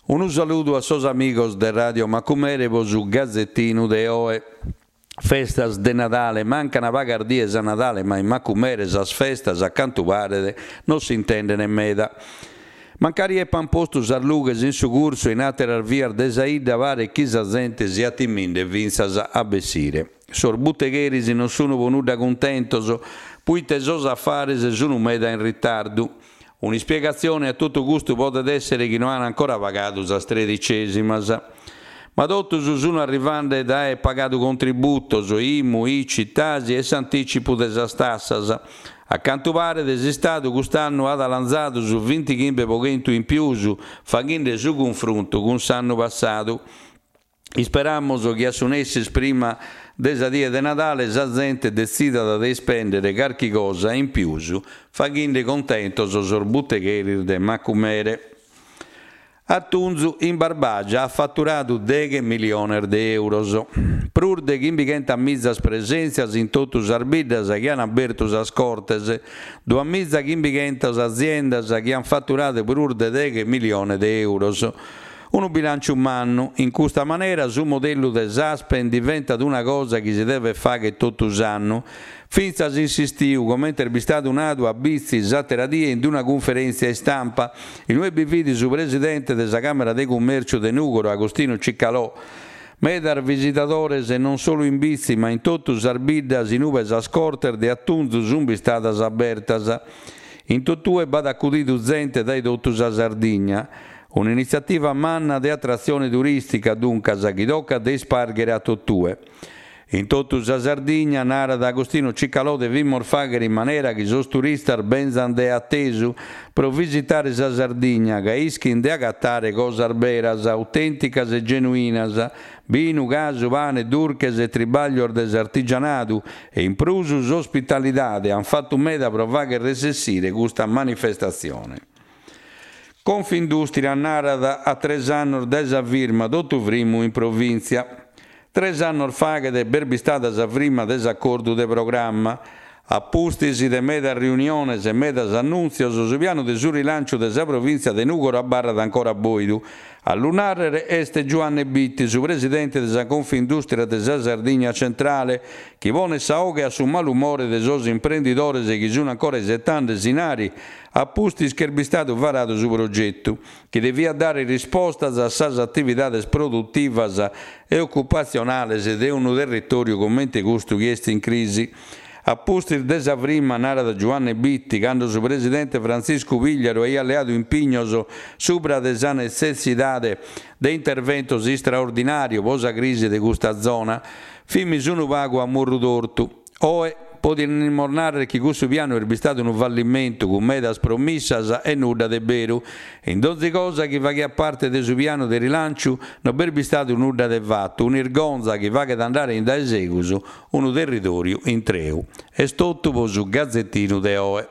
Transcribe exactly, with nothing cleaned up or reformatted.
Unu saludu a sos amigos de Radio Macumere pro su gazetinu de oe. Festas de Nadale, mancana pagas dies a Nadale ma in Macumere sas festas, a cantu paret, non s'intendene meda. Mancari epan postu sas lughes in su cursu e in àteras vias de sa 'idda paret chi sa zente siat timinde fintzas a bessire. Sos butegheris non sunu pro nudda cuntentos, puite sos afares sunu meda in ritardu. Un'ispiegatzione a totu custu podet èssere chi no an ancora pagadu sas tredicèsimas. Ma totus sunu arrivande dae aer pagadu contributos, IMU, ICI, TASI e s'antìcipu de sas tassas. A cantu paret s'Istadu cust'annu at 'alanzadu su bintighimbe pro chentu in pius, faghende su cunfruntu cun s'annu passadu. Isperamus chi a su nessis prima de sa die de Nadale sa zente detzidat de ispèndere carchi cosa in pius, faghende contentos sos butegheris de Macumere. Atunzu in Barbagia at faturadu deghe miliones de euros. Prus de chimbichentas mizas presèntzias in totu sas biddas chi an abertu sas cortes, duamiza chimbichentas aziendas chi an faturadu prus de deghe miliones de euros. Unu bilànciu mannu. In custa manera su modellu de s'Aspen diventat una cosa chi si devet fàghere totu s'annu, fintzas in s'istiu, comente est bistadu nadu a Bitzi s'àtera die in una cunferèntzia istampa, in ue bi fit su presidente de sa Càmera de Cummèrciu de Nùgoro, Agostino Cicalò. Medas visitadores non solu in Bitzi ma in totu sas biddas in ue sas cortes de atunzu sunt bistadas abertas. In totue b'at acudidu zente dae totu sa Sardigna. Un'initziativa manna de atratzione turìstica, duncas, chi tocat de ispàrghere a totue. In totu sa Sardigna, narat Agostino Cicalò, devimus fàghere in manera chi sos turistas benzant de a tesu pro visitare sa Sardigna, ca ischint de agatare cosas beras, autènticas e genuinas, binu, casu, pane, durches e tribàglios de s'artigianadu e in prus s'ospitalidade ant fatu meda pro fàghere resessire custa manifestatzione. Confindustria narat a tres annos dae sa firma totu frimu in provìntzia. Tres annos faghet b'est bistada sa firma de s'acordu de programma. A pustis de medas riuniones e medas annùntzios, su pianu de su rilànciu de sa provìntzia de Nùgoro abarrat ancora bòidu. A lu nàrrere est Giuanne Bitti, su presidente de sa Confindustria de sa Sardigna Centrale, chi ponet sa 'oghe a su malumore de sos imprendidores chi sunt ancora isetande s'inari a pustis chi est bistadu varadu su progetu, chi deviat dare rispostas a sas atividades produtivas e ocupatzionales de unu territòriu comente custu chi est in crisi. A pustis de sa firma, narat Giuanne Bitti, cando su presidente Frantziscu Pigliaru aiat leadu impignos subra de sa netzessidade de interventos istraordinàrios pro sa crisi de custa zona, fimis unu pagu a murru tortu. Oe podimus nàrrere chi cussu pianu est bistadu unu fallimentu cun medas promissas e nudda de beru. In donzi cosa chi faghiat parte de su pianu de rilànciu no b'est bistadu nudda de fatu, un'irgonza chi faghet andare in dae segus unu territòriu intreu. Est totu pro su gazetinu de oe.